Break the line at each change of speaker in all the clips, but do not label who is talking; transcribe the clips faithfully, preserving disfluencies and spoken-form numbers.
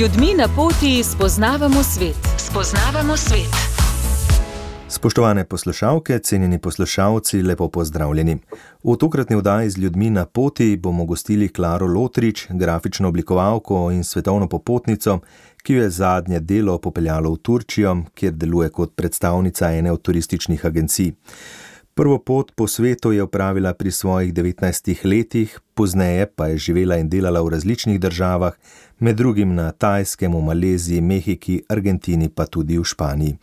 ljudmi na poti spoznavamo svet. Spoznavamo svet.
Spoštovane poslušalke, cenjeni poslušalci, lepo pozdravljeni. V tokratni oddaji z ljudmi na poti bomo gostili Klaro Lotrič, grafično oblikovalko in svetovno popotnico, ki jo je zadnje delo popeljalo v Turčijo, kjer deluje kot predstavnica ene od turističnih agencij. Prvo pot po svetu je opravila pri svojih devetnajstih letih, pozneje pa je živela in delala v različnih državah, med drugim na Tajskem, v Maleziji, Mehiki, Argentini pa tudi v Španiji.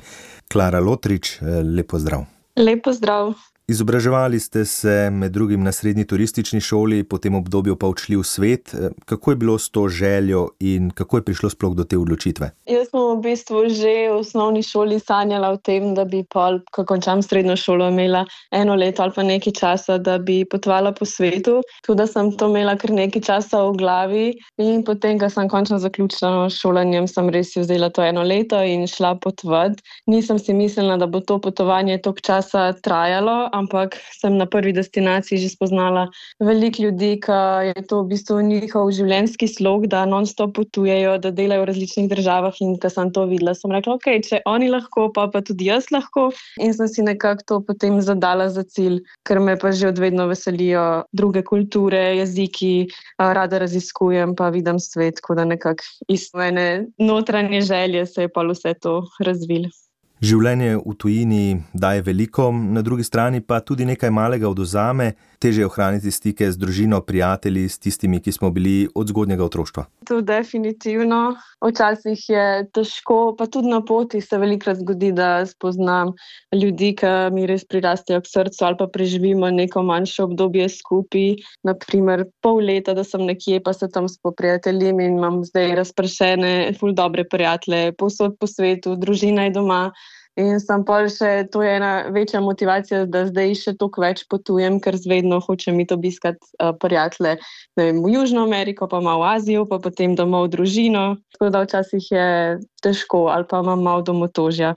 Klara Lotrič, lep pozdrav.
Lep pozdrav.
Izobraževali ste se med drugim na srednji turistični šoli, po tem obdobju pa odšli v svet. Kako je bilo s to željo in kako je prišlo sploh do te odločitve?
Jaz sem v bistvu že v osnovni šoli sanjala o tem, da bi pol, ko končam srednjo šolo, imela eno leto ali pa nekaj časa, da bi potovala po svetu. Tudi sem to imela kar nekaj časa v glavi in potem, ko sem končno zaključila šolanjem, sem res si vzela to eno leto in šla potovati. Nisem si mislila, da bo to potovanje toliko časa trajalo, ampak sem na prvi destinaciji že spoznala veliko ljudi, ki je to v bistvu njihov življenjski slog, da non-stop potujejo, da delajo v različnih državah in ko sem to videla, sem rekla, ok, če oni lahko, pa pa tudi jaz lahko in sem si nekako to potem zadala za cilj, ker me pa že odvedno veselijo druge kulture, jeziki, rada raziskujem pa vidim svet, tako da nekako iz mene notranje želje se je pa vse to razvilo.
Življenje v tujini daje veliko, na drugi strani pa tudi nekaj malega odvzame, težje ohraniti stike z družino, prijatelji, s tistimi, ki smo bili od zgodnjega otroštva.
To definitivno. Včasih je težko, pa tudi na poti se velikokrat zgodi, da spoznam ljudi, ki mi res prirastejo k srcu ali pa preživimo neko manjše obdobje skupaj. Naprimer pol leta, da sem nekje, pa se tam spoprijateljim in imam zdaj razpršene ful dobre prijatelje povsod po svetu, družina je doma. In sem pa še, to je ena večja motivacija, da zdaj še toliko več potujem, ker zvedno hočem iti obiskati uh, prijatelje v Južno Ameriko, pa malo v Azijo, pa potem domov v družino. Tako da včasih je težko ali pa imam malo domotožja.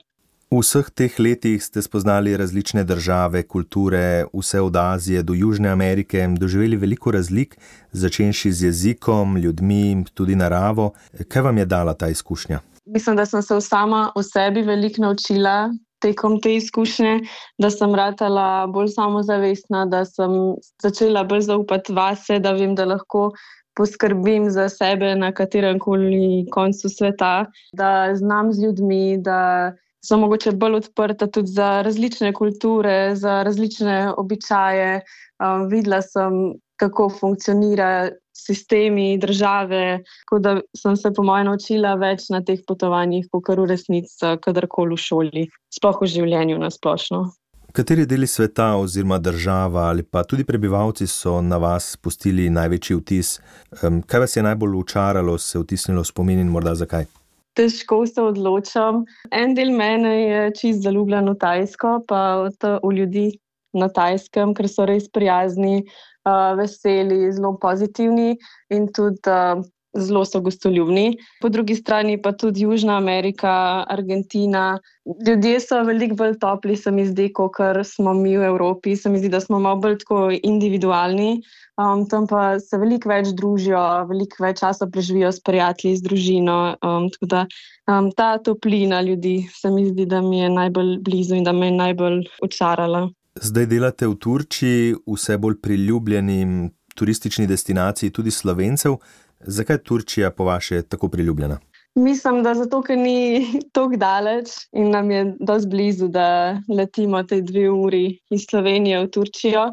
V vseh teh letih ste spoznali različne države, kulture, vse od Azije do Južne Amerike, doživeli veliko razlik, začenši z jezikom, ljudmi, tudi naravo. Kaj vam je dala ta izkušnja?
Mislim, da sem se sama o sebi veliko naučila tekom te izkušnje, da sem ratala bolj samozavestna, da sem začela bolj zaupati vase, da vem, da lahko poskrbim za sebe na katerem koli koncu sveta, da znam z ljudmi, da sem mogoče bolj odprta tudi za različne kulture, za različne običaje. Um, videla sem, kako funkcionira sistemi, države, tako da sem se po moje naučila več na teh potovanjih, kakor v resnici kadarkoli v šoli, sploh v življenju na splošno.
Kateri deli sveta oziroma država ali pa tudi prebivalci so na vas pustili največji vtis? Kaj vas je najbolj učaralo, se vtisnilo v spomin in morda zakaj?
Težko se odločam. En del mene je čist zaljubljen v Tajsko, pa v ljudi na Tajskem, ker so res prijazni, Uh, veseli, zelo pozitivni in tudi uh, zelo so gostoljubni. Po drugi strani pa tudi Južna Amerika, Argentina. Ljudje so veliko bolj topli, se mi zdi, kakor smo mi v Evropi. Se mi zdi, da smo malo bolj tako individualni. Um, tam pa se veliko več družijo, veliko več časa preživijo s prijatelji, z družino. Um, tako da um, ta toplina ljudi se mi zdi, da mi je najbolj blizu in da me je najbolj očarala.
Zdaj delate v Turčiji, vse bolj priljubljeni turistični destinaciji tudi Slovencev. Zakaj je Turčija po vaše tako priljubljena?
Mislim, da zato, ker ni toliko daleč in nam je dosti blizu, da letimo te dve uri iz Slovenije v Turčijo.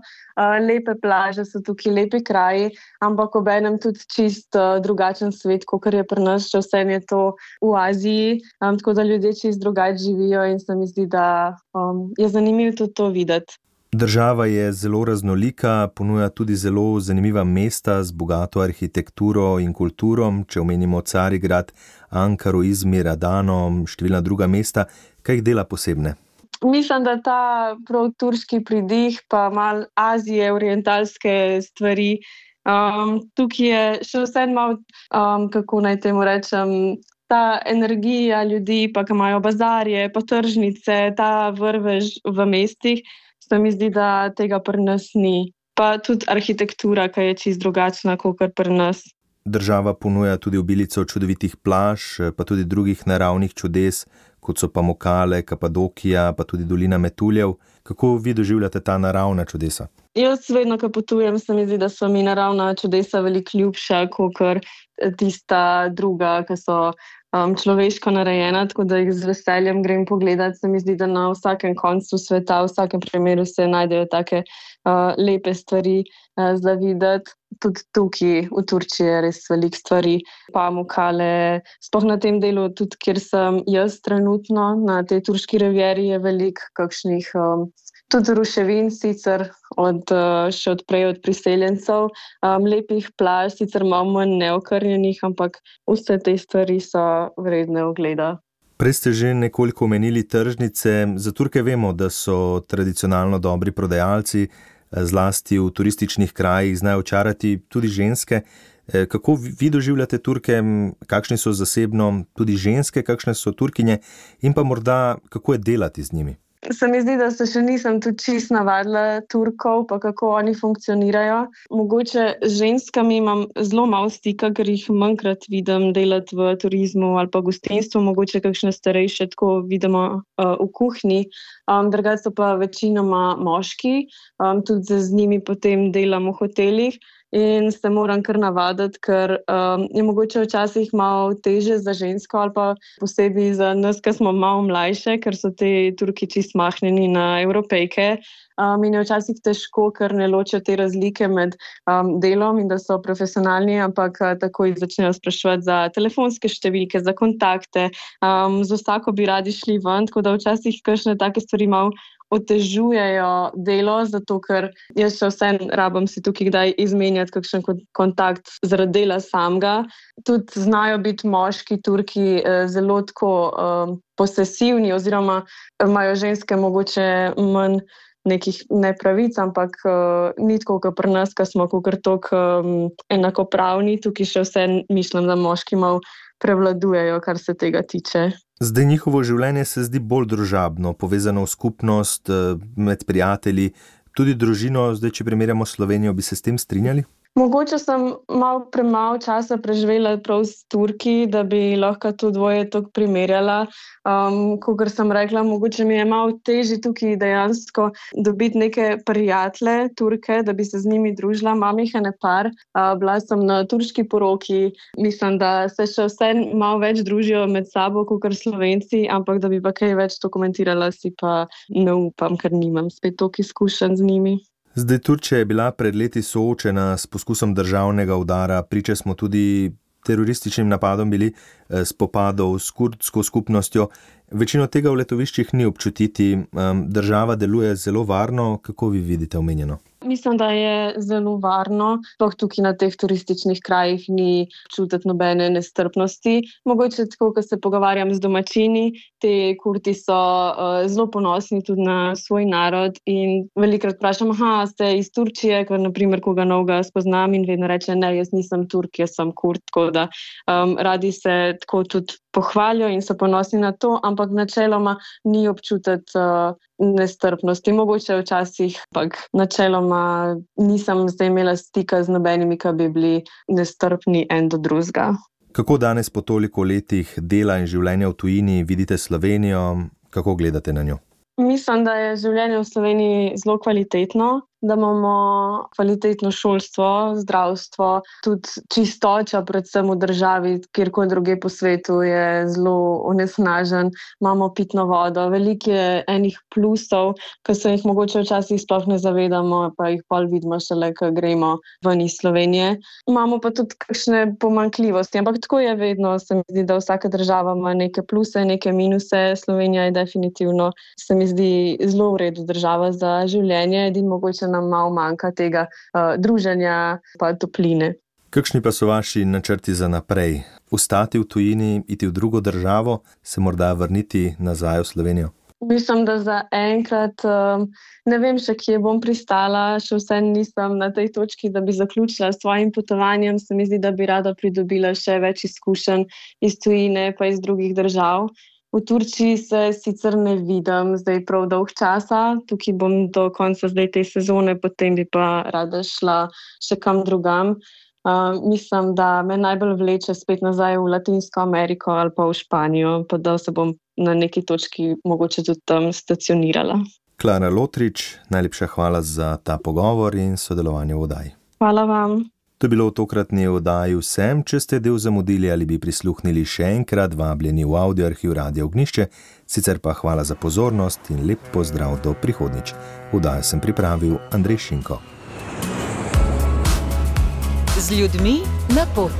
Lepe plaže so tukaj, lepi kraji, ampak obenem tudi čist drugačen svet, kakor je pri nas, če vse je to v Aziji. Um, tako da ljudje čist drugače živijo in se mi zdi, da um, je zanimivo tudi to videti.
Država je zelo raznolika, ponuja tudi zelo zanimiva mesta z bogato arhitekturo in kulturo, če omenimo Carigrad, Ankaro, Izmir, Adano, številna druga mesta. Kaj jih dela posebne?
Mislim, da ta prav turški pridih, pa malo Azije, orientalske stvari. Um, tukaj je še vse malo, um, kako naj temu rečem, ta energija ljudi, pa ki imajo bazarje, pa tržnice, ta vrvež v mestih. Se mi zdi, da tega pri nas ni. Pa tudi arhitektura, ki je čisto drugačna, kot pri nas.
država ponuja tudi obilico čudovitih plaž, pa tudi drugih naravnih čudes, kot so Pamukkale, Kapadokija, pa tudi dolina Metuljev. Kako vi doživljate ta naravna čudesa?
Jaz vedno, ko potujem, se mi zdi, da so mi naravna čudesa veliko ljubša, kakor tista druga, ki so um, človeško narejena, tako da jih z veseljem grem pogledat. Se mi zdi, da na vsakem koncu sveta, v vsakem primeru se najdejo take uh, lepe stvari uh, za videti. Tudi tukaj v Turčiji je res veliko stvari. Pamukkale, sploh na tem delu, tudi kjer sem jaz trenutno, na tej turški rivieri je veliko kakšnih um, tudi ruševin, sicer od, še odprej od priseljencev, um, lepih plaž, sicer malo manj neokrnjenih, ampak vse te stvari so vredne ogleda.
Prej ste že nekoliko omenili tržnice. Za Turke vemo, da so tradicionalno dobri prodajalci, zlasti v turističnih krajih znajo očarati tudi ženske. Kako vi doživljate Turke, kakšni so zasebno tudi ženske, kakšne so Turkinje in pa morda kako je delati z njimi?
Se mi zdi, da se še nisem tudi čist navadila Turkov, pa kako oni funkcionirajo. Mogoče z ženskami imam zelo malo stika, ker jih manjkrat vidim delati v turizmu ali pa gostinstvu, mogoče kakšne starejše tako vidimo uh, v kuhinji. Um, drugače so pa večinoma moški, um, tudi z njimi potem delam v hotelih. In se moram kar navaditi, ker um, je mogoče včasih malo teže za žensko ali pa posebej za nas, ki smo malo mlajše, ker so te Turki čist mahnjeni na Evropejke. Um, in je včasih težko, ker ne ločijo te razlike med um, delom in da so profesionalni, ampak uh, takoj začnejo spraševati za telefonske številke, za kontakte. Um, z vsako bi radi šli ven, tako da včasih kakšne take stvari malo otežujejo delo, zato ker jaz še vsem rabam si tukaj kdaj izmenjati kakšen kontakt zaradi dela samega. Tudi znajo biti moški Turki eh, zelo tako eh, posesivni oziroma imajo ženske mogoče manj nekih nepravic, ampak uh, ni tako, kot pri nas, ko smo kakor toliko um, enakopravni. Tukaj še vse mislim, da moški malo prevladujejo, kar se tega tiče.
Zdaj njihovo življenje se zdi bolj družabno, povezano v skupnost, med prijatelji, tudi družino. Zdaj, če primerjamo Slovenijo, bi se s tem strinjali?
Mogoče sem malo premalo časa preživela prav s Turki, da bi lahko to dvoje tako primerjala. Um, Kakor sem rekla, mogoče mi je malo težje tukaj dejansko dobiti neke prijatelje Turke, da bi se z njimi družila. Imam jih ene par, uh, bila sem na turški poroki. Mislim, da se še vse malo več družijo med sabo, kakor Slovenci, ampak da bi pa kaj več to komentirala, si pa ne upam, ker nimam spet toliko izkušenj z njimi.
Zdaj, Turčija je bila pred leti soočena s poskusom državnega udara, priče smo tudi terorističnim napadom bili, spopadov s kurdsko skupnostjo. Večino tega v letoviščih ni občutiti, država deluje zelo varno. Kako vi vidite omenjeno?
Mislim, da je zelo varno, sploh tukaj na teh turističnih krajih ni čutiti nobene nestrpnosti. Mogoče tako, ko se pogovarjam z domačini, te Kurdi so uh, zelo ponosni tudi na svoj narod in velikokrat vprašam, aha, ste iz Turčije, ker naprimer koga novega spoznam in vedno reče, ne, jaz nisem Turk, jaz sem Kurd, tako da um, radi se tako tudi pohvalijo in so ponosni na to, ampak načeloma ni občutiti uh, nestrpnosti. Mogoče včasih, ampak načeloma nisem zdaj imela stika z nobenimi, ki bi bili nestrpni en do drugega.
Kako danes po toliko letih dela in življenja v tujini vidite Slovenijo? Kako gledate na njo?
Mislim, da je življenje v Sloveniji zelo kvalitetno, da imamo kvalitetno šolstvo, zdravstvo, tudi čistoča, predvsem v državi, kjerkoli druge po svetu je zelo onesnažen, imamo pitno vodo, veliko je enih plusov, ki se jih mogoče včasih sploh ne zavedamo, pa jih pol vidimo šele, ko gremo ven iz Slovenije. Imamo pa tudi kakšne pomanjkljivosti, ampak tako je vedno, se mi zdi, da vsaka država ima neke pluse, neke minuse. Slovenija je definitivno, se mi zdi, zelo v redu država za življenje, edin mogoče nam malo manjka tega uh, druženja pa topline.
Kakšni pa so vaši načrti za naprej? Ostati v tujini, iti v drugo državo, se morda vrniti nazaj v Slovenijo?
Mislim, da za enkrat um, ne vem še, kje bom pristala, še vse nisem na tej točki, da bi zaključila s svojim potovanjem. Se mi zdi, da bi rada pridobila še več izkušenj iz tujine pa iz drugih držav. V Turčiji se sicer ne vidim zdaj prav dolg časa, tukaj bom do konca zdaj te sezone, potem bi pa rada šla še kam drugam. Uh, mislim, da me najbolj vleče spet nazaj v Latinsko Ameriko ali pa v Španijo, pa da se bom na neki točki mogoče tudi tam stacionirala.
Klara Lotrič, najlepša hvala za ta pogovor in sodelovanje v oddaji.
Hvala vam.
To je bilo v tokratni oddaji vsem. Če ste del zamudili ali bi prisluhnili še enkrat, vabljeni v audioarhiv Radia Ognjišče, sicer pa hvala za pozornost in lep pozdrav do prihodnjič. Oddajo sem pripravil Andrej Šinko.
Z ljudmi na pot.